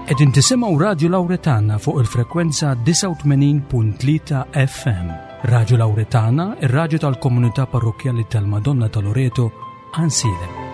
Qegħdin tisimgħu Radju Lawretana fuq il-frekwenza 89.3 FM. Radju Lawretana, ir-radju tal-komunità parrokkjali tal-Madonna ta' Loreto, Ansilem.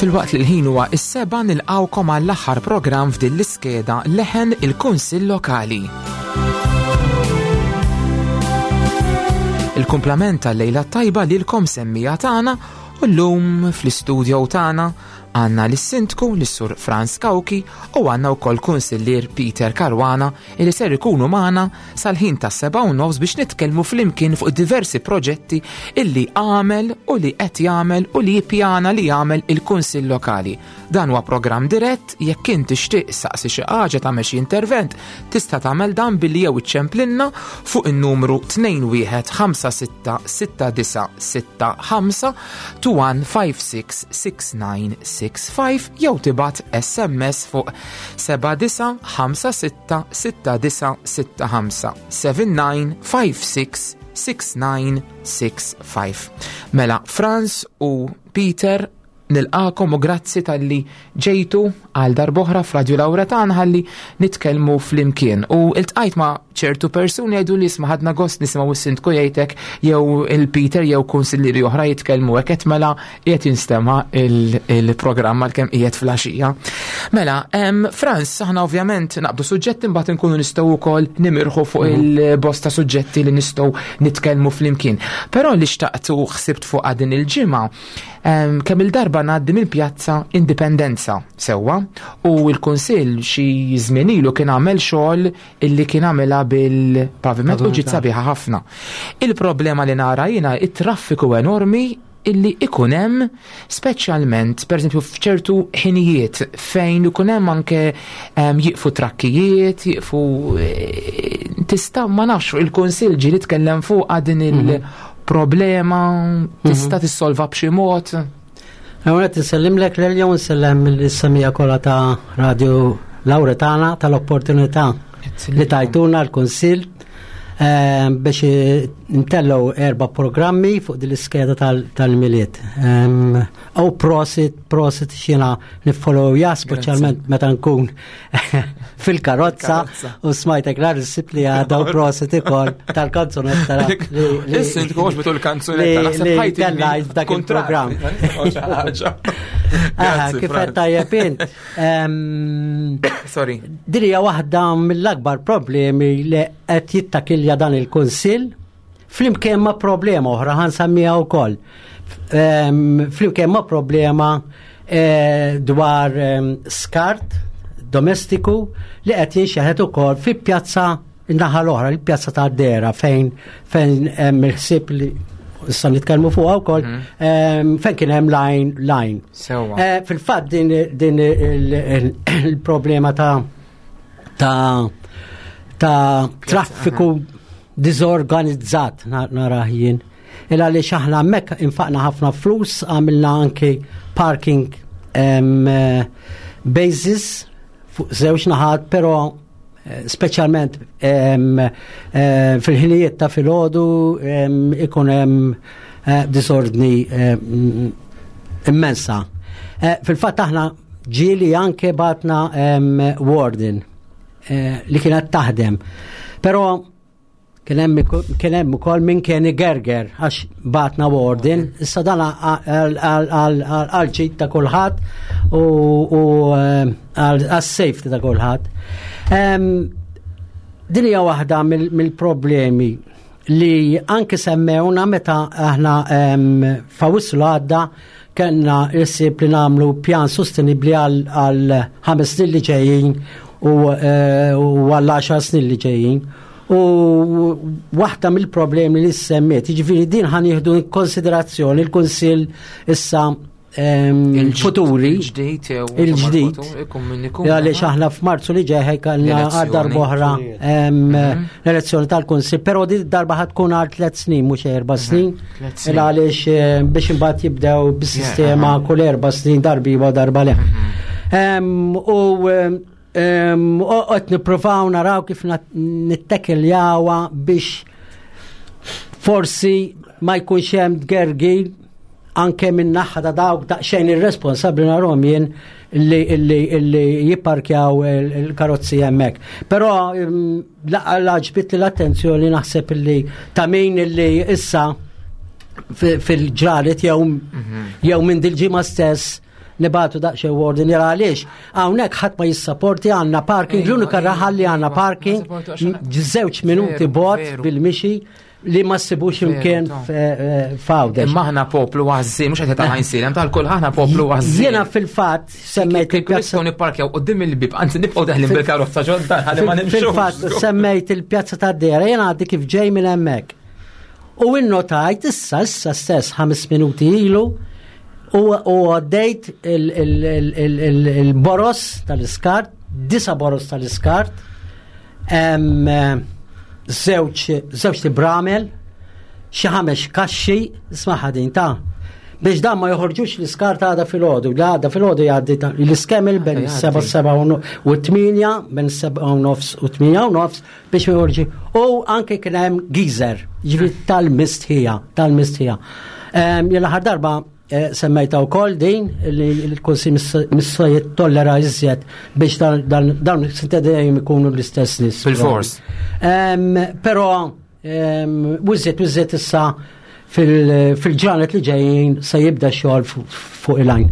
Filwaqt li l-ħin huwa is-seba' nilqgħukom għall-aħħar programm f'din l-iskeda Leħen il-Kunsill Lokali. Il-kumplament tal-lejla tajba lilkom semmija tagħna u llum fl-istudio tagħna għandna lis-Sindku lis-Sur Franz Cauchi u għandna wkoll Kunsillier Peter Caruana li ser ikunu magħna sal-ħin tas-7:30 biex nitkellmu flimkien fuq diversi proġetti illi għamel u li qed jagħmel u li jippjana li jagħmel il-Kunsill Lokali. Dan huwa programm dirett, jekk int tixtieq saqsi xi ħaġa tagħmel xi intervent, tista' tagħmel dan billi jew iċċemplinna fuq in-numru 21566965 21566965 jew tibgħat SMS fuq 79566965 79566965. Mela Franz u Peter nilqakom u grazzi talli ġejtu għal darb'oħra f'Radju Lawretan ħalli nitkellmu flimkien. U iltqajt ma' ċertu persuni jgħidu li isma' ħadna gost nisimgħu s-sindku jgħidek jew il-Peter jew kunsillieri oħra jitkellmu hekk qed mela qiegħed jinstema' il-programm għalkemm qiegħed fl-għaxija. Mela, Franz, aħna ovvjament naqbdu suġġetti imbagħad inkunu nistgħu wkoll nimirħu fuq il-bosta suġġetti li nistgħu nitkellmu flimkien. Però li xtaqt u ħsibt fuq din il-ġimgħa kemm il-darba ngħaddi mill-pjazza Indipendenza sewwa u l-Kunsill xi żmien ilu kien għamel xogħol illi kien għamilha bil-paviment u ġiet sabiħa ħafna. Il-problema li nara jiena it-traffiku enormi illi ikun hemm speċjalment pereżempju f'ċertu ħinijiet fejn ikun hemm anke jieqfu trakkijiet, jieqfu eh, tista' ma nafx il-Kunsill ġieli tkellem fuqha din il- mhm. problema tista' mhm. tissolva b'xi mod. Għonet nsellimlek l-jom nsellem l-samija kolla ta' Radio Lauretana tal-opportunità li tajtuna l-Konsil eh, biex ntellow erba programmi fuq din l-iskeda tal-miliet. U prosit, prosit xina nifollowja, speċjalment meta nkun fil-karozza u smajtek nar issib li għadha u prosit ikoll tal-kanzunetta. Issa inti kox bitu l-kanzunetta, naħseb ħajti tellajt f'dak il-programm. Kif qed tajjeb int. Sorry. Din hija waħda mill-akbar problemi li qed jittakilja dan il-Kunsill Flimkien ma' problema oħra ħa nsemmiha wkoll. Ehm, flimkien ma' problema eh, dwar ehm, skart domestiku li qed jinxeħet ukoll fi pjazza naħa l-oħra, il-pjazza ta' Dera fejn fejn hemm il-ħsieb li issa nitkellmu fuqha wkoll mhm. ehm, fejn kien hemm line line. Eh, fil-fatt din din il-problema ta' ta' ta' traffiku diżorganizzat narah jien. Il għaliex aħna hemmhekk infaqna ħafna flus, għamilna anki parking eh, basis fuq żewġ naħat, però eh, speċjalment eh, fil-ħinijiet ta' filgħodu ikun hemm disordni immensa. Fil-fatt aħna ġieli anke batna warden eh, li kienet taħdem. Però kien hemm ukoll min kien igerger għax batna warden, issa dan għal ġid ta' kulħadd u eh, għal safety ta' kulħadd. Din hija waħda mill-problemi li anke semmewna meta aħna f'Awwissu għadda kellna ħsieb li nagħmlu pjan sostenibli għal ħames snin li ġejjin u eh, għal 10 snin li ġejjin. U waħda mill-problemi li semmiet, jiġifieri din ħa nieħdu konsiderazzjoni l-Kunsill issa. futuri. Il-ġdid jew Il-ġdid. Għaliex aħna f'Marzu li ġej kellna għal darb'oħra l-elezzjoni tal-Kunsill, però di darba ħad tkun għal tliet snin mhux erba' snin. Tliet snin. Għaliex biex imbagħad jibdew bis-sistema kull erba' snin darba iva darba le. U qed nippruvaw naraw kif nittekiljawha biex forsi ma jkunx hemm tgergil anke minn naħa ta' dawk daqsxejn irresponsabbli narhom jien li jipparkjaw il-karozzi hemmhekk. Però ġbit li l-attenzjoni naħseb li ta' min li issa fil-ġranet jew minn dil-ġimgħa stess nibatu daqsxejn warning jara għaliex hawnhekk ħadd ma jissaporti għandna parking, l-unika raħal li għandna parking, Ma sapportu għax għandna żewġ minuti bot bil-mixi li ma ssibux imkien f'Għawdex. Imma aħna poplu għażżien, mhux qed ta' Għajnsielem, tal-kull aħna poplu għażżien. Jiena fil-fatt semmejt Kieku il-pjazza nistgħu nipparkjaw quddiem il-bib, anzi nibqgħu daħlin bil-karozza ġodda ħalli ma nimxux. Fil-fatt semmejt il-pjazza tad-Dera, jiena għaddi kif ġej minn hemmhekk. U innotajt issa stess 5 minuti ilu u għaddejt il-boros tal-iskart, 9 boros tal-iskart, żewġ tibramel, xi 5 kaxxi, isma' ħadin ta' biex dan ma joħorġux l-iskart għada filgħodu, li għada filgħodu jgħaddi l-iskemil bejn seba' seba' u tminja, bejn seba' u nofs u tminja u nofs biex ma joħorġu. U anke kien hemm geyser, ġifieri tal-mistħija, tal-mistħija. Jien l-aħħar darba semmejta wkoll din li l-Kunsill missa jittollera iżjed biex dawn dejjem ikunu l-istess nies. Fil-fors. Però wiżjed issa fil-ġranet li ġejjin se jibda xogħol fuq il-għajn.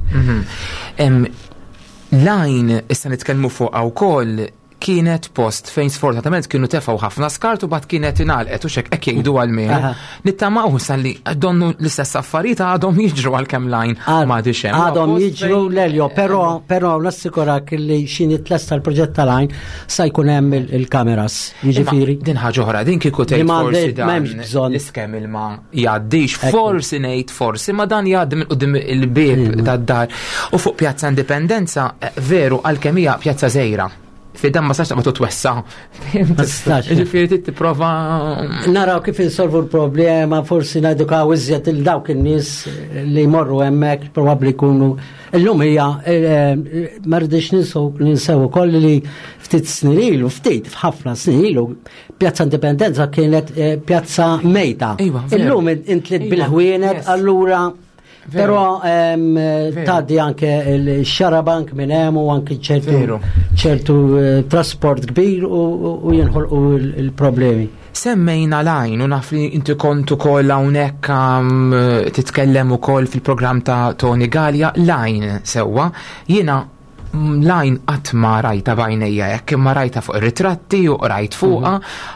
L-għajn issa nitkellmu fuqha wkoll kienet post fejn sfortunatament kienu tefgħu ħafna skart u bad kienet ingħalqet u xek hekk jgħidu għal-menu. Nittamaw issa li donnu l-istess affarijiet għadhom jiġru għalkemm l-għajn ma għadix hemm. Għadhom Post jiġru fejn l-Elio, però nassikurak li xi tlesta l-proġett tal-għajn sa jkun hemm il-kameras, jiġifieri. Imma din ħaġa oħra, din kieku tgħid Li ma forsi għandek dan m'hemmx bżonn. l-iskem il-ma jgħaddix, forsi ngħid forsi, ma dan jgħaddi minn quddiem il-bieb tad-dar. U fuq Pjazza Indipendenza, veru għalkemm hija pjazza żgħira. Fi dan ma sax taqbad twessa. Ma tistax. Ġifieri trid tipprova Naraw kif insolvu l-problema, forsi nedukaw iżjed il dawk in-nies li jmorru hemmhekk, probabbli jkunu. Illum hija ma rridux ninsew ukoll li ftit snin ilu, ftit f'ħafna snin ilu, Pjazza Indipendenza kienet pjazza mejta. Iva, veru. Illum intlit bil-ħwienet, allura Però tgħaddi anke il-xarabank minn hemm u anke ċertu trasport kbir u jinħolqu il-problemi. Semmejna l-għajn u naf li inti kont ukoll hawnhekk titkellem ukoll fil-programm ta' Tony Galea, l-għajn sewwa. Jiena l-għajn qatt ma rajta b'għajnejja hekk, imma rajta fuq ir-ritratti u rajt fuqha,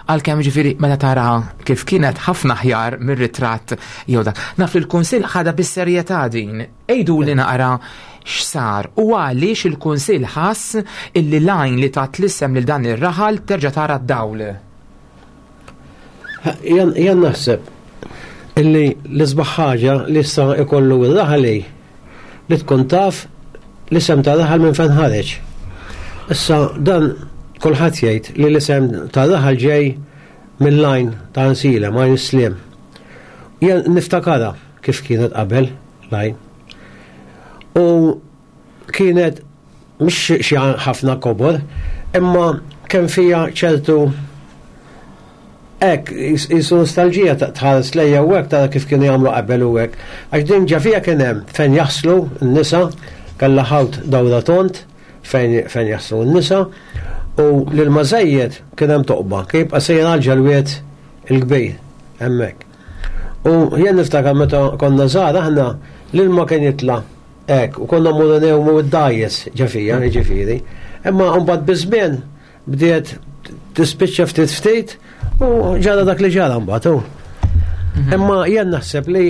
għalkemm ġifieri meta tara kif kienet ħafna aħjar mir-ritratt jew dak. Naf li l-Kunsill ħadha bis-serjetà din. Ejdu li naqra x'sar u għaliex il-Kunsill ħass illi l-għajn li tat l-isem lil dan ir-raħal terġa' tara d-dawl. Jan naħseb illi l-isbaħ ħaġa li issa ikollu r-raħal li tkun taf l-isem ta' raħal minn fejn ħareġ. Issa dan kulħadd jgħid li l-isem ta' raħal ġej mill-għajn ta' Għajnsielem, għajn is-sliem. Jien niftakarha kif kienet qabel l-għajn. U kienet mhux xi ħafna kobor, imma kemm fija ċertu hekk jisu nostalġija tħares lejja u hekk tara kif kienu jagħmlu qabel u hekk. Għax din ġa fija kien hemm fejn jaħslu n-nisa, kellha ħawt dawra tont fejn jaħslu n-nisa, u lil mażejjed kien hemm toqba, kien jibqa' sejjer għal ġelwiet il-kbir hemmhekk. U jien niftakar meta konna żgħar aħna l-ilma kien jitla' hekk, u konna mmorru newmu d-dgħajjes ġa fija, jiġifieri. Imma mbagħad biż-żmien bdiet tispiċċa ftit ftit u ġara dak li ġara mbagħad hu. Imma jien naħseb li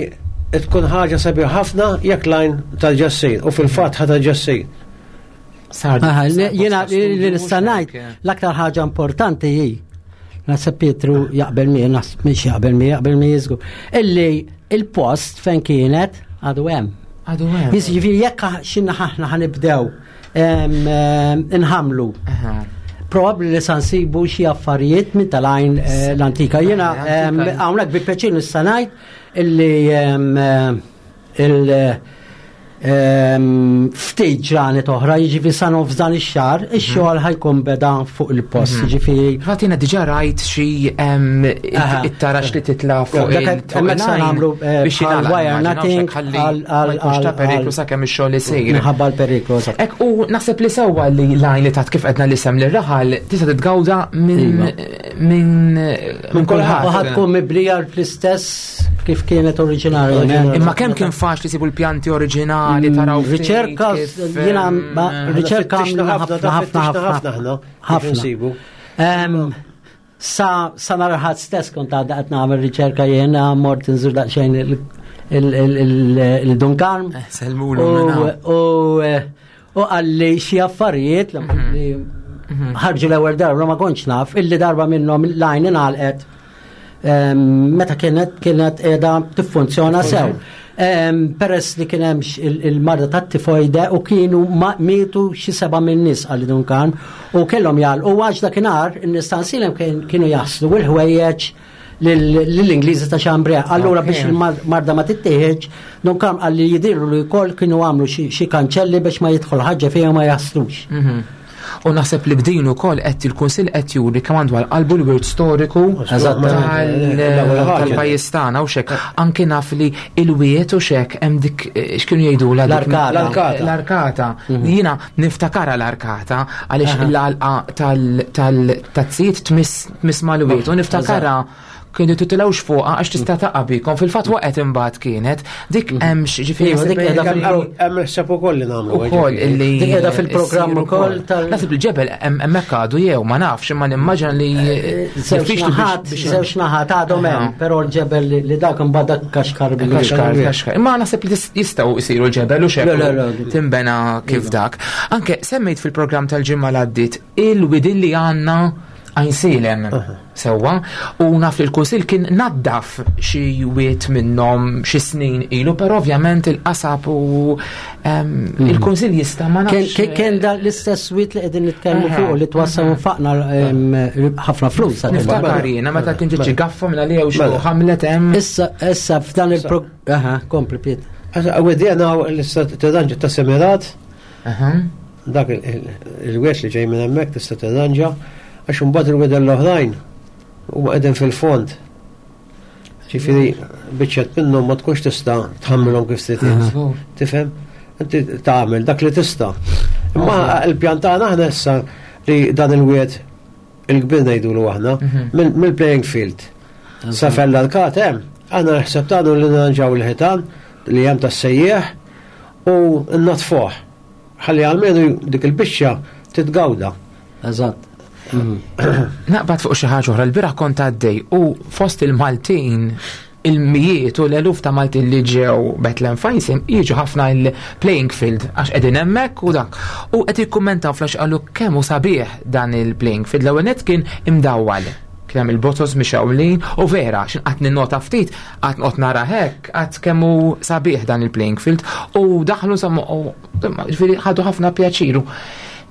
tkun ħaġa sabiħa ħafna jekk l-għajn terġa' ssir, u fil-fatt ħa terġa' ssir. Sar sar Jiena bosta li studju nista' mhux ngħid hekk. l-aktar ħaġa importanti hi, naħseb Pietru jaqbel miegħi, naħseb mhix jaqbel miegħi, jaqbel miegħi żgur, illi il-post fejn kienet għadu hemm. Għadu hemm. Jiġifieri jekk xi naħa aħna ħanibdew inħamlu. Probabbli li sa nsibu xi affarijiet minn tal-għajn eh, l-antika. Jiena hawnhekk bi pjaċir nista' ngħid illi il- ftit ġranet oħra, jiġifieri sa nofs dan ix-xahar, mhm. ix-xogħol ħajkun beda fuq il-post, mhm. jiġifieri. Fatt jiena diġà rajt xi it-tarax li titla' fuq il-hemmhekk se nagħmlu eh, biex wire nutting għal ta' periklu sakemm ix-xogħol isir. Minħabba l-periklu. Ek u naħseb li sewwa li l-għajn li tat kif qedna l-isem lir-raħal tista' titgawda minn iva. minn minn kulħadd. U ħadd tkun miblija fl-istess kif kienet oriġinali. Imma kemm kien faċli sibu l-pjanti oriġinali taraw Riċerka jiena riċerka ħafna ħafna ħafna ħafna. Sa sa narħat stess kont għadda qed nagħmel riċerka jiena mort inżur daqsxejn il-Dunkarm. Eh, Selmulu. U qalli xi affarijiet li mhm. mhm. ħarġu l-ewwel darba ma kontx naf illi darba minnhom l-għajn ingħalqet meta kienet kienet qiegħda tiffunzjona sew. Peress li kien hemm il-marda tat-tifoide u kienu mietu xi seba' minn nies għal Dunkan u kellhom jgħalqu għax dakinhar in-nies ta' Nsilem kienu jaħslu l-ħwejjeġ lill-Ingliżi ta' Xambrea. Allura biex il-marda ma tittieħedx, Dunkan qal li jidhirlu li wkoll kienu għamlu xi kanċelli biex ma jidħol ħaġa fihom ma jaħslux. Mhm. U naħseb li b'din ukoll qed il-Kunsill qed juri kemm għandu għal qalbu l-wirt storiku tal-pajjiż tagħna u xek. Anke naf li il-wiet u xek hemm dik eh, x'kienu jgħidula l-arkata. L-arkata. Mhm. Jiena niftakara l-arkata għaliex l-għalqa tal-tazzijiet tmiss mal-wiet u niftakara kienu titilgħux fuqha għax tista' taqa' bikom. Fil-fatt waqgħet imbagħad kienet dik mhm. hemm ġifieri dik qiegħda hemm ħseb ukoll li nagħmlu. Ukoll illi dik qiegħda fil-programm ukoll tal Naħseb il-ġebel hemmhekk għadu jew ma nafx imma nimmaġina li eh, eh, żewġ naħat żewġ naħat għadhom hemm, però l-ġebel li dak imbagħad dak kaxkar bil Kaxkar, kaxkar. Imma naħseb li jistgħu jsiru l-ġebel u xekk timbena kif iva. dak. Anke semmejt fil-programm tal-ġimgħa l-għaddiet il-widin li għandna Għajnsielem sewwa u naf li l-Kunsill kien naddaf xi wied minnhom xi snin ilu, però ovvjament il-qasab u mhm. il-Kunsill jista' ma nafx. Kien dan l-istess wied li qegħdin nitkellmu fuq li twassal nfaqna ħafna flus. Niftakar jiena meta kien ġiġi gaffa minn għalija u xi mela. ħamlet hemm. Issa issa f'dan il-programm. Aha, kompli Piet. Għedjena l-istat ta' semirat Dak il-wied li ġej minn hemmhekk tista' tirranġa għax imbagħad il-wieden l-oħrajn huma qegħdin fil-fond. Ġifieri biċċet minnhom ma tkunx tista' tħammilhom kif trid. Tifhem? Inti tagħmel dak li tista'. Imma l-pjan tagħna aħna issa li dan il-wied il-kbir ngħidulu aħna mhm. mill-playing field. Sa fella l-kat hemm, aħna ħseb tagħna li nirranġaw il-ħitan li hemm tas-sejjieħ u natfuh. Ħalli almenu dik il-biċċa titgawda. Eżatt. Mhm. Naqbad fuq xi ħaġa oħra, l-bieraħ kont għaddej u fost il-Maltin il-mijiet u l-eluf ta' Maltin li ġew Bethlehem Fajsim jiġu ħafna il-playing field għax qegħdin hemmhekk u dak. U qed jikkummentaw flax qalu kemm hu sabiħ dan il-playing field. L-ewwel nett kien imdawwal kien hemm il-botos mixgħulin u vera x'in qatt ninnota ftit qatt noqgħod nara hekk qatt kemm hu sabiħ dan il-playing field u daħlu insomma ġifieri ħadu ħafna pjaċiru.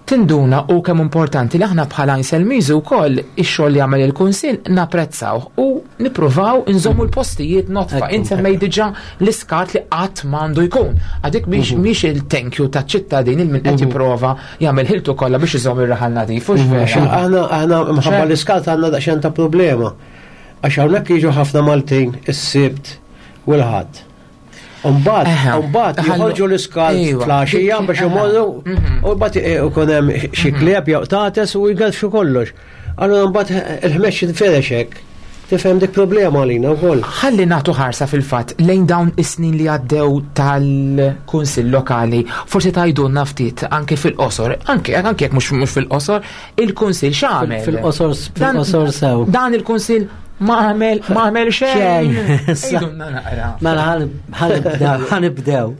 Tinduna u kemm importanti li aħna bħala Inselmiżi wkoll ix-xogħol li jagħmel il-Kunsill napprezzaw u nippruvaw inżommu l-postijiet notfa. Int semmej diġà l-iskart li qatt m'għandu jkun. Għadik mhix mhm. mhix il-thank you taċ-ċittadin il min qed mhm. jipprova jagħmel ħiltu kollha biex iżomm ir-raħal nadif. Mhm. Aħna aħna mħabba l-iskart għandna daqsxejn ta' problema. Għax hawnhekk jiġu ħafna Maltin is-Sibt u l-Ħadd. Umbagħad, umbagħad joħorġu l-iskal fl-għaxija biex imorru mhm. u mbagħad eh, ikun hemm xi mhm. klieb jew tates u jgħalxu kollox. Allura mbagħad il-ħmex jinferex hekk. Tifhem dik problema għalina wkoll. Ħalli nagħtu ħarsa fil-fatt lejn dawn is-snin li għaddew tal-Kunsill Lokali. Forsi tgħidulna ftit anke fil-qosor, anke anke jekk mhux fil-qosor, il-Kunsill x'għamel? Fil-qosor fil-qosor sew. Dan il-Kunsill ma għamel ma għamel xejn. Mela ħanibdew.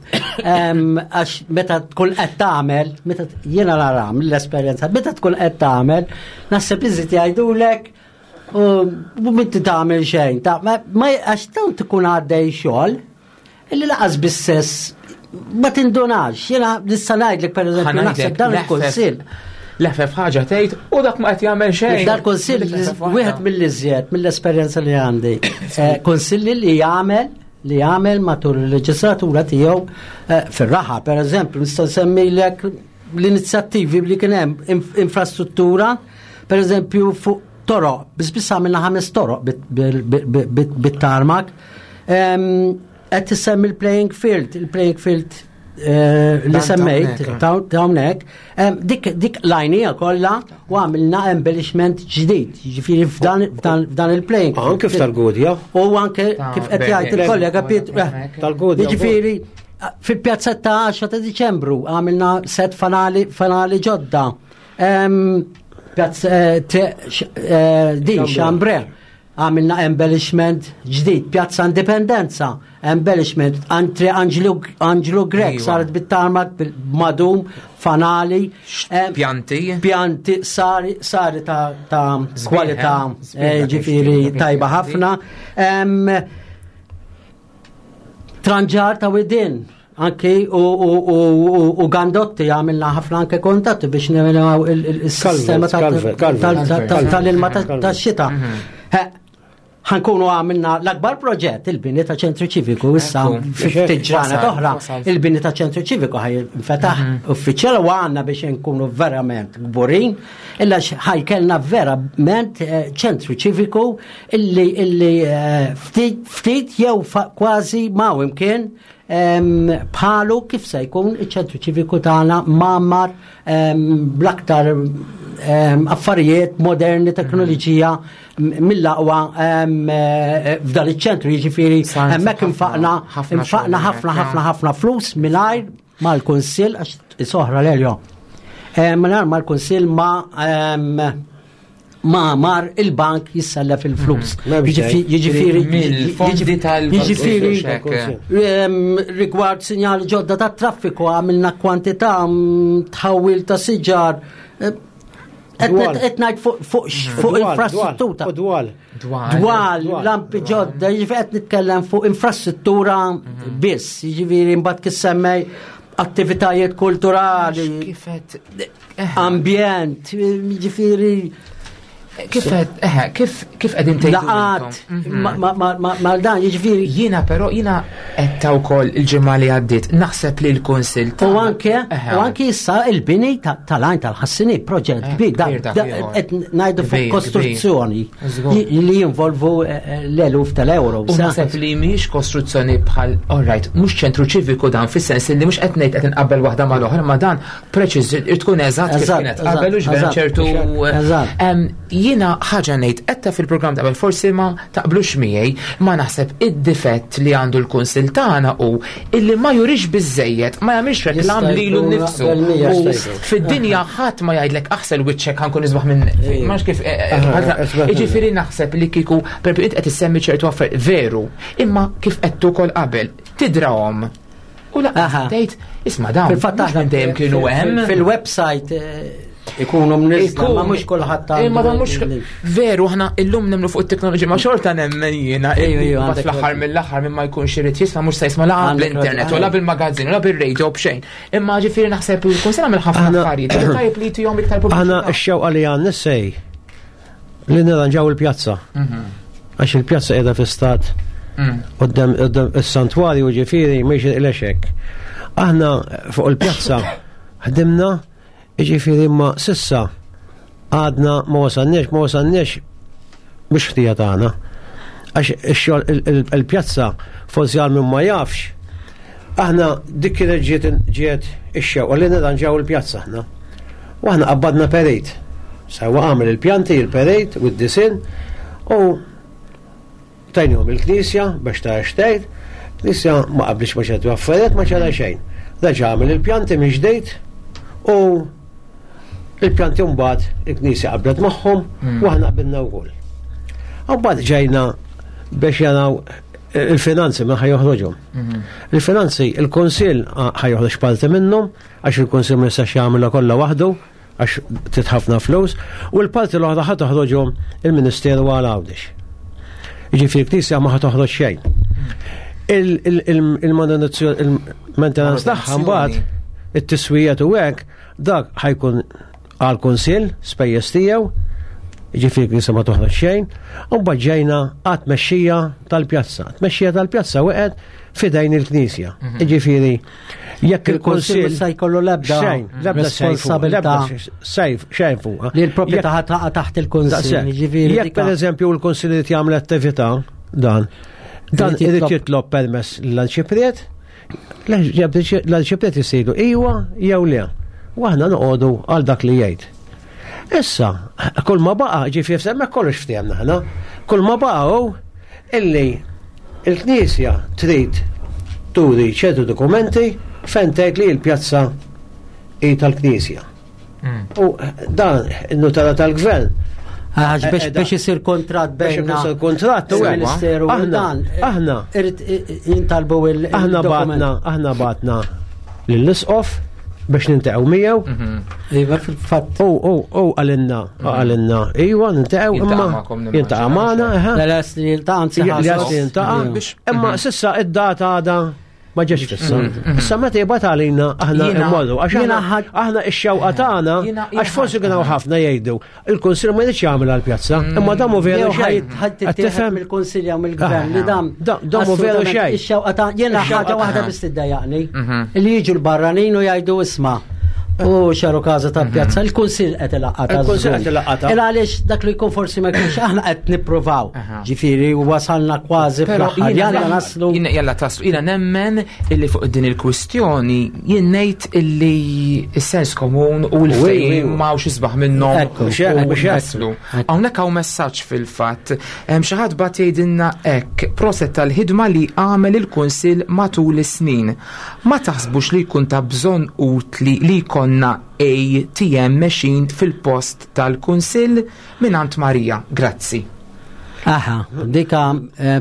Għax meta tkun qed tagħmel, meta jiena nara mill-esperjenza, meta tkun qed tagħmel, naħseb iżid jgħidulek u m'inti tagħmel xejn. Ma għax tant tkun għaddej xogħol, Illi laqas bis-sess Ma tindunax, jiena nista' ngħidlek pereżempju naħseb dan il-kunsill. Leħfef ħaġa tgħid u dak ma qed jagħmel xejn. Dal kunsill wieħed mill-iżjed mill-esperjenza li għandi. Eh, kunsilli li jagħmel li jagħmel matul il-leġislatura tiegħu eh, fir-raħa, pereżempju, nista' nsemmilek l-inizjattivi li kien hemm infrastruttura, pereżempju fuq toroq, biss biss għamilna ħames toroq bit-tarmak. Qed tissemmi l-playing field, il-playing field eh, li semmejt ta' hawnhekk, dik dik lajnija kollha u għamilna embellishment ġdid, jiġifieri f'dan il-playing. Anke f'tal-Gudja. U anke kif qed jgħid il-kollega Pietru. Eh, Tal-Gudja. Jiġifieri fil-pjazzetta ta' 10 ta' Diċembru għamilna set fanali fanali ġodda. Pjazz eh, din Xambre. Għamilna embellishment ġdid, Pjazza Indipendenza, embellishment, Antri Anġlu, Anġlu Grek, iva. saret bit-tarmak, bil-madum, fanali. Pjanti. Pjanti, sari, sari ta', ta kwalità, eh, ġifiri tajba ħafna. Tranġar ta' widin, anki u gandotti għamilna ħafna anke kontatti biex nirinaw il-sistema tal-ilma tax-xita. Mhm. Ħankunu għamilna l-akbar proġett il-bini ta' ċentru ċiviku issa ftit ġranet oħra il-bini ta' ċentru ċiviku ħaj fetaħ mhm. uffiċjal u għandna biex nkunu verament kburin illa ħajkelna verament eh, ċentru ċiviku illi illi eh, ftit jew kważi ma' imkien bħalu kif se jkun iċ-ċentru ċiviku tagħna mgħammar bl-aktar affarijiet moderni, teknoloġija mill-aqwa eh, f'dan iċ-ċentru, jiġifieri hemmhekk infaqna infaqna ħafna ħafna ħafna flus mingħajr mal-kunsill għax soħra l-eljo. Mingħajr mal-kunsill ma ma mar il-bank jissellef il-flus. Mhm. Jiġifieri mill-fondi tal Jiġifieri rigward sinjali ġodda ta' traffiku għamilna kwantità mm, tħawil ta' siġar. Qed ngħid fuq mhm. infrastruttura. Dwal. Dwal, lampi ġodda, jiġifieri qed nitkellem fuq infrastruttura mhm. biss, jiġifieri mbagħad kif semmej attivitajiet kulturali. Kifet ambjent, ġifiri. Kif eh, kif kif qegħdin tgħidu? Laqat mhm. ma dan jiġifieri. Jiena però jiena qed wkoll il-ġimgħa li għaddiet naħseb li l-kunsill U anke u anke issa il-bini tal-għajn tal-ħassini proġett eh, kbir qed ngħidu fuq kostruzzjoni li jinvolvu eh, l-eluf tal-euro. U naħseb li mhix kostruzzjoni bħal all right, mhux ċentru ċiviku dan fis-sens li mhux qed ngħid qed inqabbel waħda mal-oħra ma dan preċiż, tkun eżatt kif kienet qabel u x'vera ċertu. Jiena ħaġa ngħid qed fil-programm qabel forsi ma taqblux miegħi, ma naħseb id-difett li għandu l-kunsil tagħna hu illi ma jurix biżejjed, ma jagħmilx reklam lilu nnifsu. Fid-dinja ħadd ma jgħidlek aħsel wiċċek ħankun isbaħ minn. Ma kif. Eh, eh, jiġifieri naħseb li kieku per qed issemmi ċertu affarijiet veru, imma kif qed ukoll qabel tidrahom U laqas tgħid, isma' dawn. Fil-fatt aħna dejjem kienu hemm. Fil-website eh, ikunu mniżla, ma mhux kulħadd Ma dan mhux veru aħna illum nemmnu fuq it-teknoloġija ma xorta nemmen jiena. Fl-aħħar mill-aħħar minn ma jkunx irid jisma' mhux se jisma' la bl-internet u la bil-magazzin u la bil-radio b'xejn. Imma ġifieri naħseb li kun se nagħmel ħafna affarijiet. Tajjeb li tihom iktar pubbliċità. Aħna x-xewqa li għandna sej li nirranġaw il-pjazza. Mhm. Għax il-pjazza qiegħda fi stat mm. quddem is-santwarju ġifieri mhix il-lexek. Aħna fuq il-pjazza ħdimna ġifieri ma sissa għadna ma wasalniex, ma wasalniex mhux ħtija tagħna. Għax il-pjazza forsi għal min ma jafx, aħna dik kienet ġiet ġiet ix-xewqa li nirranġaw il-pjazza aħna. U aħna qabbadna perit. Sewwa għamel il-pjanti, il-perit u d-disin u tajnihom il-knisja biex ta' xtejt. Knisja ma qablix ma ċertu affarijiet ma ċara xejn. Reġa' għamel il-pjanti minn ġdejt u il-pjanti mbagħad il-knisja qablet magħhom mm. u aħna qabilna wkoll. Mbagħad ġejna biex jaraw il-finanzi minn ħajoħroġhom. Mm-hmm. Il-finanzi, il-Kunsill ħajoħroġ parti minnhom, għax il-Kunsill ma jistax jagħmilha kollha waħdu għax trid ħafna flus, u l-parti l-oħra ħa toħroġhom il-Ministeru għal Għawdex. Jiġifieri l-Knisja ma ħa toħroġ xejn. Il-manutenzjoni, il-maintenance tagħha mbagħad it-tiswijiet u hekk dak ħa jkun għall-kunsill spejjeż tiegħu, ġifieri knisja ma toħroġ xejn, u mbagħad ġejna għat-tmexxija tal-pjazza. Tmexxija tal-pjazza waqgħet f'idejn il-knisja. Ġifieri jekk il-kunsill se jkollu l-ebda xejn, l-ebda responsabilità sejf, xejn fuqha. Li l-proprjetà taqa' taħt il-kunsill. Ġifieri jekk pereżempju l-kunsill irid jagħmel attività dan, dan irid jitlob permess l-arċipriet, l-arċipriet jisidu iwa jew le. U aħna noqogħdu għal dak li jgħid. Issa, kull ma baqa, ġifieri semmek kollox ftehemna aħna, kull ma baqa hu illi il-Knisja trid turi ċertu dokumenti fejn tgħid li l-pjazza hi tal-Knisja. U dan in-nutara tal-gvern. Għax biex biex isir kontratt Biex bejn isir kontratt u il-Ministeru u aħna dan. aħna Irid jintalbu il- aħna il-dokument. batna aħna batna lill-isqof biex nintaqgħu miegħu. Iva fil-fatt. U u u għalinna għalinna iwa nintaqgħu Jiltaqa' imma magħkom nimmaġina, jiltaqa' magħna eħe. L-es li jiltaqa' anzi Li ħassu. għas li jiltaqa' Biex- Imma sissa id-data għadha ma ġiex fissa. Issa meta jibgħat għalina aħna Jiena- immorru għax jiena aħna ħad- aħna ix-xewqa tagħna Jiena- għax forsi kien hawn ħafna jgħidu il-Kunsill ma jridx jagħmel għall-pjazza, imma dan mhu veru Jew xejn. ħadd Qed tittieħed tifhem? mill-Kunsilj jew mill-Gvern li dam. Da- dan mhu veru assolutament xejn. Ix-xewqa ta' jiena Ix-xewqa ħaġa waħda ta' biss tiddejjaqni. Li jiġu l-barranin u jgħidu isma'. U xaru każa ta' pjazza, il-Kunsill qed ilaqqata. Il-Kunsill qed ilaqqata. Il għaliex dak li jkun forsi ma jkunx aħna qed nippruvaw. Aha. Ġifieri wasalna kważi Pero fl-aħħar. Jalla naslu. Jiena jalla taslu, jiena nemmen illi fuq din il-kwistjoni jien ngħid illi s-sens komun u l-fejn iwa. ma hawnx isbaħ minnhom Ekku, mhux hekk, u mhux hekk. naslu. Hawnhekk hawn messaġġ fil-fatt. Hemm xi ħadd bagħat jgħidilna hekk proset tal-ħidma li għamel il-Kunsill matul is-snin. Ma taħsbux li jkun ta' bżonn utli li jkollna ATM machine fil-post tal-Kunsill mingħand Marija. Grazzi. Aha, dika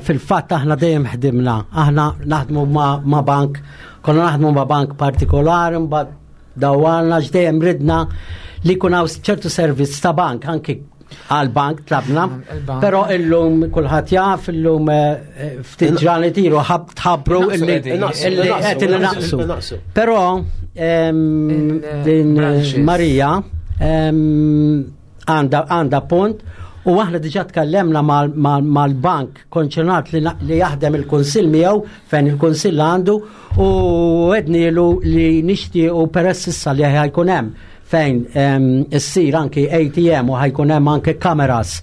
fil-fatt aħna dejjem ħdimna. Aħna naħdmu ma, ma bank, konna naħdmu ma bank partikolari, mbagħad dawwarna x'dejjem ridna li jkun hawn ċertu servizz ta' bank, anki għal bank tlabna, Il-bank. però illum kulħadd jaf, illum ftit ġranet ilu ħab tħabbru Naqsu illi qegħdin. Naqsu, illi naqsu, qed naqsu, naqsu. naqsu. Però din Il-branches. Marija għanda punt u aħna diġà tkellemna mal-bank konċernat li, li jaħdem il-Kunsill miegħu fejn il-Kunsill għandu u għednilu li nixtiequ peress issa li ħajkun hemm fejn issir anki ATM u ħajkun hemm anke kameras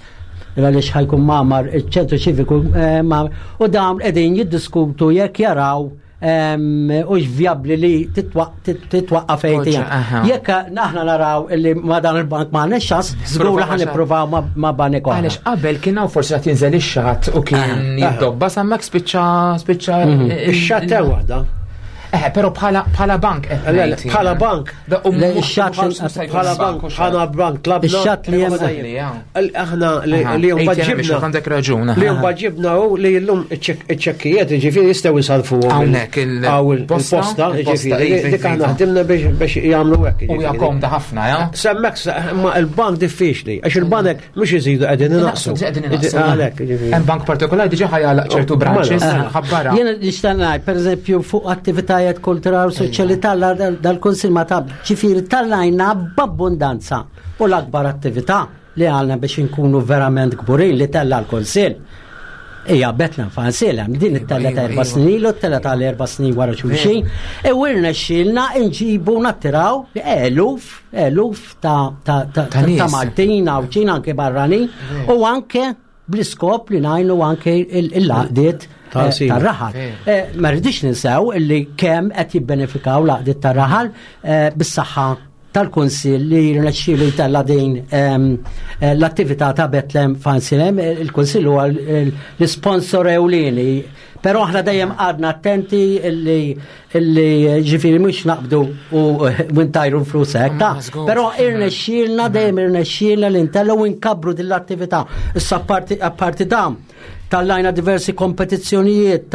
għaliex ħajkun mamar iċ-ċentru ċiviku u dawn qegħdin jiddiskutu jekk jaraw u viabli li titwaqqaf ATM. Aha. Jekk naħna naraw illi ma dan il-bank ma għandniex ċans, żgur Provaw ħan nippruvaw ma banek oħra. Għalix qabel kien hawn forsi qed jinżel ix-xatt u kien jiddobba sammek spiċċa spiċċa Ix-xatt hemm waħda. Eh, però bħala bħala bank qed Le, le, ngħid Bħala jien. bank. Da, u Le, mhux- ix-xatt mhux se jkun Bħala bank bank, u xatt. bħala bank tlabna. Ix-xatt li hemm- Aħna li Aha, li ATM mbagħad biex ġibna. għandek raġun. Li aha. mbagħad ġibna hu li llum iċ-ċekkijiet ġifieri jistgħu jsalfu Hawnhekk il- il-posta, posta, ġifieri iva, dik aħna iva. ħdimna biex jagħmlu hekk. U hija ġifieri. komda ħafna, ja? Semmek ma il-bank diffiċli, għax il-banek mhux iżidu qegħdin inaqsu. Qegħdin inaqsu. Għalhekk, ġifieri. Hemm bank partikolari diġà ħajalaq ċertu Oh, branches, mela. ħabbara. Jiena nixtieq ngħid, pereżempju, fuq attivitajiet kulturali u soċjali dal-Kunsill ma tab, ġifieri tallajna b'abbundanza u l-akbar attività li għalna biex inkunu verament kburin li tella l-Kunsill. Ija, Bethlehem Fansilem, din it-tella ta' iva, erba iva. snin ilu, t-tella ta' erba snin wara xulxin, e wirna xilna nġibu nattiraw eluf, eluf ta' ta' ta' Ta' ta' nies. Maltin, Għawdxin, anke barranin, u anke bl-iskop li najnu anke il-laqdiet Ta' sima. tar-raħal. Veru. Ma rridix ninsew illi kemm qed jibbenefikaw laqdiet tar-raħal bis-saħħa tal-Kunsill li rnexxielu jtella din l-attività ta' Bethlehem Fansilem, il-Kunsill huwa l-sponsor ewlieni. Però aħna dejjem għadna attenti illi illi ġifieri mhux naqbdu u ntajru l-flus hekk. Ma żgur. Però irnexxielna dejjem irnexxielna li ntellgħu u nkabbru din l-attività. Issa apparti apparti dan tallajna diversi kompetizzjonijiet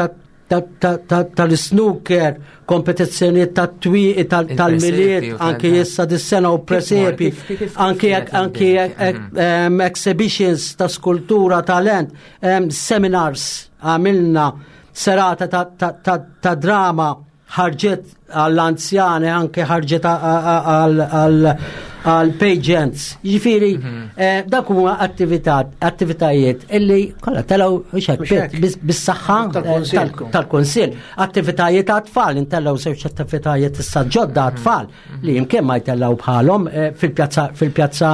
tal-snooker, kompetizzjonijiet tat-twieqi tal-miliet, Il-presepi u anki tal- issa dis-sena u presepi, kif- kif anki kienet anki il-bdiet? exhibitions ta' skultura, talent, seminars għamilna. serata ta' drama ħarġet għall-anzjani, anke ħarġet għall-pageants. Jiġifieri mhm. eh, dak huma attivitajiet illi kollha telgħu bis-saħħa eh, tal-kunsill. Attivitajiet għat-tfal, intellgħu żewġ attivitajiet issa ġodda mhm. għat-tfal li jimkien ma jtellgħu bħalhom eh, fil-pjazza fil-pjazza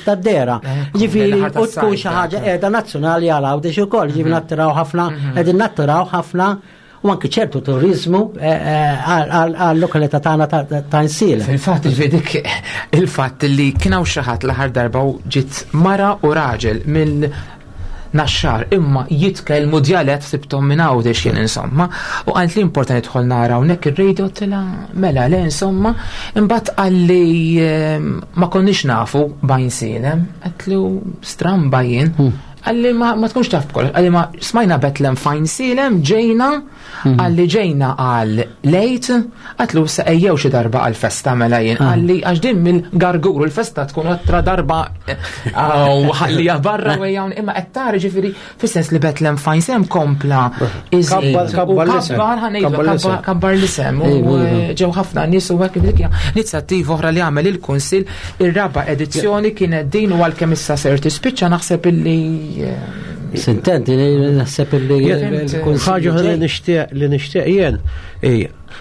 tad-dera. Jiġifieri u tkun xi ħaġa qiegħda nazzjonali għal Għawdex ukoll, jiġifieri mhm. nattiraw ħafna, qegħdin nattiraw ħafna u anki ċertu turizmu eh, eh, għal-lokalità tagħna ta' Insiela. Fil-fatt dik il-fatt li kien hawn xi ħadd l-aħħar darba u ġiet mara u raġel mill naxxar imma jitkellmu djalett sibtom minn Għawdex jien insomma u qalt li importanti nidħol nara hawnhekk ir-radio tila mela le insomma imbagħad qalli eh, ma konniex nafu bajn sielem qedlu stramba jien. Għalli ma, ma tkunx taf b'kollox, għalli ma smajna Betlem fajn silem, ġejna, mhm. għalli ġejna għal lejt, għatlu sa ejjew xi darba għal festa mela jien, ah. għalli għax din mill-gargur l-festa tkun għattra darba u ħalli barra u ejjawn imma qed tara ġifieri fis-sens li Betlem fajn sem kompla iżid kabbar ħanejdu kabbar l-isem u eh, ġew ħafna nies u hekk dik inizjattiva oħra li għamel il-Kunsill Ir-raba' edizzjoni kienet din u għalkemm issa ser tispiċċa naħseb illi eh, Sintenti, naħseb illi ħaġa li nixtieq li nixtieq jien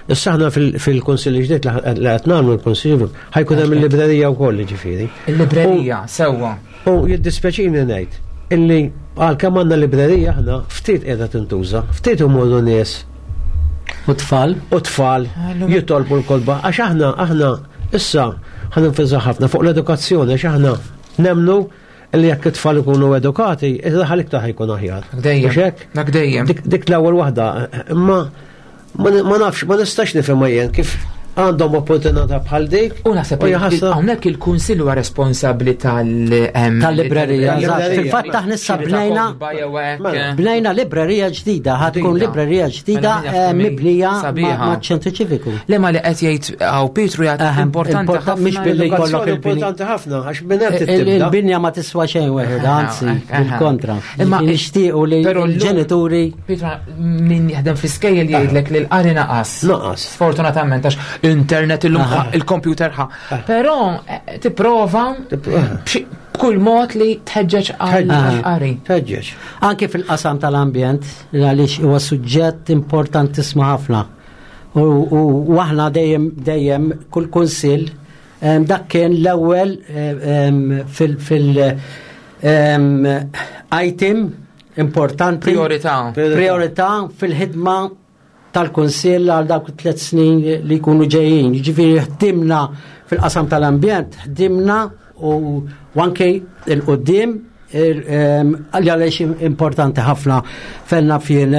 Issa aħna fil-Kunsill ġdid li qed nagħmlu l-Kunsill ħajkun hemm il-librerija wkoll ġifieri. Il-librerija, sewwa. U jiddispjaċini ngħid illi għalkemm għandna librerija aħna ftit qiegħda tintuża, ftit imorru nies. U tfal? U tfal jitolbu l-kotba għax aħna aħna Issa ħa nenfasizza ħafna fuq l-edukazzjoni għax aħna nemnu li jekk it-tfal ikunu edukati, ir-raħal iktar ħajkun aħjar. Dejjem. Dak dejjem. Dik l-ewwel waħda, imma ma nafx, ma nistax nifhem jien kif għandhom opportunità bħal dik. U naħseb hawnhekk il-Kunsill huwa responsabbli tal tal-librerija. Fil-fatt aħna issa bnejna mela. bnejna librerija ġdida, ħad tkun librerija ġdida mela, eh, mibnija maċ-ċentru ċiviku. Le ma li qed jgħid hawn Pietru jgħid importanti ħafna. Mhix billi jkollok importanti ħafna għax minn hemm Il-binja ma tiswa xejn weħed, anzi, bil-kontra. Imma nixtiequ li l-ġenituri. Pietru min jaħdem fl-iskejjel jgħidlek li l-qari naqas. Naqas. Sfortunatament għax internet illum il-computer ħa. Però eh, tipprova b'kull mod li tħeġġeġ għal-qari. Tħeġġeġ. Anke fil-qasam tal-ambjent, għaliex huwa suġġett importantissimu ħafna. U aħna dejjem dejjem kull kunsill dak kien l-ewwel fil item importanti. Priorità. Priorità fil-ħidma tal-Kunsill għal dawk it-tlet snin li jkunu ġejjin. Jiġifieri ħdimna fil-qasam tal-ambjent, ħdimna u anke il-qudiem għaliex importanti ħafna fenna fien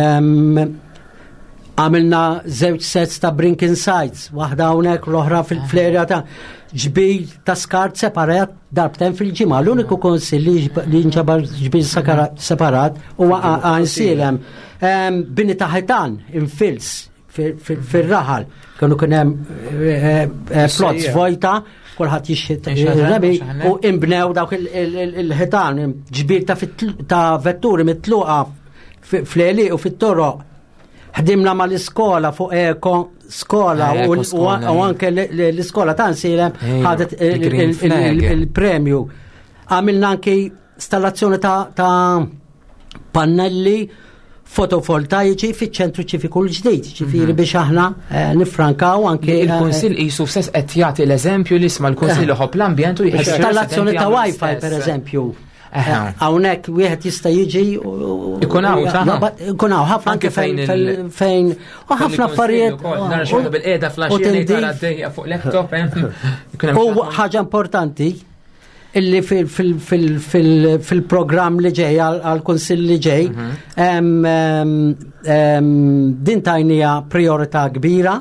għamilna żewġ sets ta' brinking sites, waħda hawnhekk l-oħra fil-flerja ta' ġbir ta' skart separat darbtejn fil-ġimgħa. L-uniku konsil li nġabar ġbir separat huwa għansilem. Bini ta' ħitan infils fil-raħal. Kienu kien hemm eh, eh, plots vojta, kulħadd jixħit rebi u imbnew dawk il-ħitan ġbir ta' vetturi mitluqa fl-eli u fit-toroq. Ħdimna mal-iskola fuq eko skola eh, u anke l-iskola ta' nsilem ħadet il-premju. Għamilna anke installazzjoni ta' pannelli fotovoltaiċi fiċ-ċentru ċiviku l-ġdid, ġifieri mhm. biex aħna eh, nifrankaw anke. Eh, Il-Kunsill qisu stess qed jagħti l-eżempju li isma' l-Kunsill iħobb l-ambjent u jħeġġeġ. Installazzjoni ta' Wi-Fi pereżempju. Hawnhekk wieħed jista' jiġi ikun hawn ikun hawn ħafna anke fejn fejn u ħafna affarijiet. Nara xi bil-qiegħda fl-għaxija fuq laptop. U ħaġa importanti illi fil-programm li ġej għal-konsill li ġej mhm. din tajnija priorità kbira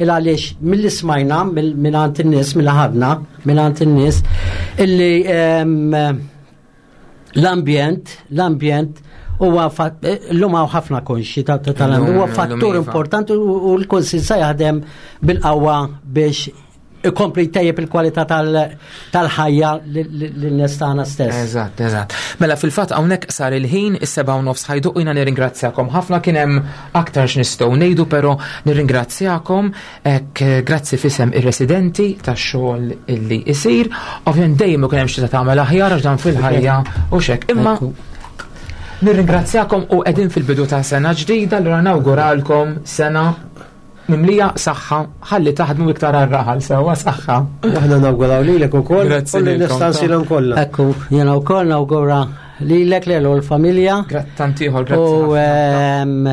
il għaliex mill-li smajna minn għand in-nies mill ħadna minn għand in-nies illi l-ambjent l-ambjent huwa l-lum hawn ħafna konxi tal-ambjent huwa fattur iva. importanti u l-Kunsill se jaħdem bil-qawwa biex ikompli jtejjeb il-kwalità tal-ħajja lin-nies tagħna stess. Eżatt, eżatt. Mela fil-fatt hawnhekk sar il-ħin is-seba' u nofs ħajduq jiena nirringrazzjakom ħafna kien hemm aktar x'nistgħu ngħidu però nirringrazzjakom hekk grazzi fisem ir-residenti tax-xogħol illi isir. Ovvjament dejjem ikun hemm xi tagħmel aħjar għax dan fil-ħajja u xek. Imma nirringrazzjakom u qegħdin fil-bidu ta' sena ġdida, allura nawguralkom sena mimlija saħħa ħalli taħdmu iktar għar-raħal sewwa saħħa. Aħna nawguraw lilek ukoll Grazzi u lilkom, l-istansilhom kollha. Ekku, jiena wkoll nawgura lilek lil u l-familja. Tant ieħor grazzi. U ħafna. ehm,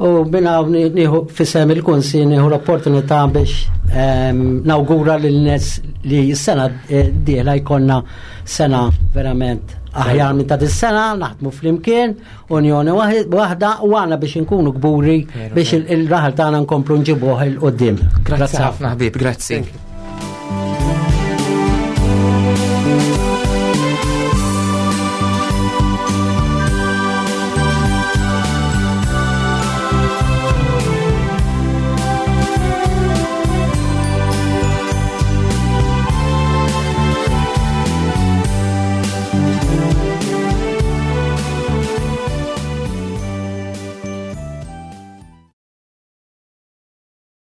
u minna nieħu fisem il-kunsi nieħu l-opportunità biex ehm, nawgura lil nies li s-sena eh, d-dieħla jkollna sena verament aħjar minn ta' dis-sena, naħdmu flimkien, unjoni waħda u għana biex inkunu kburi Veru, biex veru. il-raħal tagħna nkomplu nġibuh il-qoddim. Grazzi ħafna ħbib, grazzi.